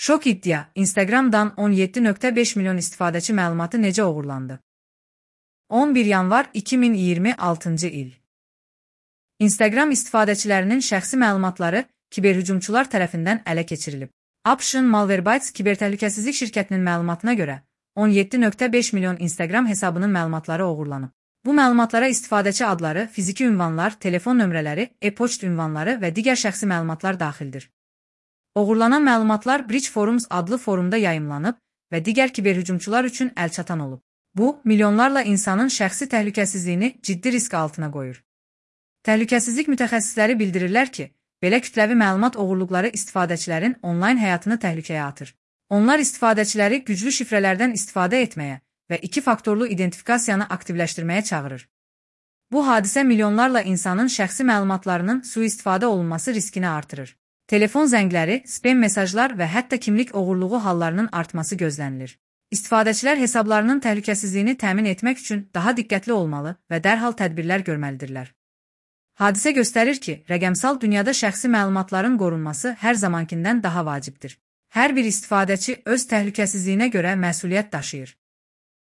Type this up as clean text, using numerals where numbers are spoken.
Şok iddia, Instagram'dan 17,5 milyon istifadəçi məlumatı necə oğurlandı? 11 yanvar 2026 il. Instagram istifadəçilərinin şəxsi məlumatları kiberhücumçular tərəfindən ələ keçirilib. Option Malwarebytes kibertəhlükəsizlik şirkətinin məlumatına görə 17,5 milyon Instagram hesabının məlumatları oğurlanıb. Bu məlumatlara istifadəçi adları, fiziki ünvanlar, telefon nömrələri, e-poçt ünvanları və digər şəxsi məlumatlar daxildir. Oğurlanan məlumatlar Bridge Forums adlı forumda yayımlanıb və digər kiberhücumçular üçün əlçatan olub. Bu, milyonlarla insanın şəxsi təhlükəsizliyini ciddi risk altına qoyur. Təhlükəsizlik mütəxəssisləri bildirirlər ki, belə kütləvi məlumat oğurluqları istifadəçilərin onlayn həyatını təhlükəyə atır. Onlar istifadəçiləri güclü şifrələrdən istifadə etməyə və iki faktorlu identifikasiyanı aktivləşdirməyə çağırır. Bu hadisə milyonlarla insanın şəxsi məlumatlarının sui-istifadə olunması riskini artırır. Telefon zəngləri, spam mesajlar və hətta kimlik oğurluğu hallarının artması gözlənilir. İstifadəçilər hesablarının təhlükəsizliyini təmin etmək üçün daha diqqətli olmalı və dərhal tədbirlər görməlidirlər. Hadisə göstərir ki, rəqəmsal dünyada şəxsi məlumatların qorunması hər zamankindən daha vacibdir. Hər bir istifadəçi öz təhlükəsizliyinə görə məsuliyyət daşıyır.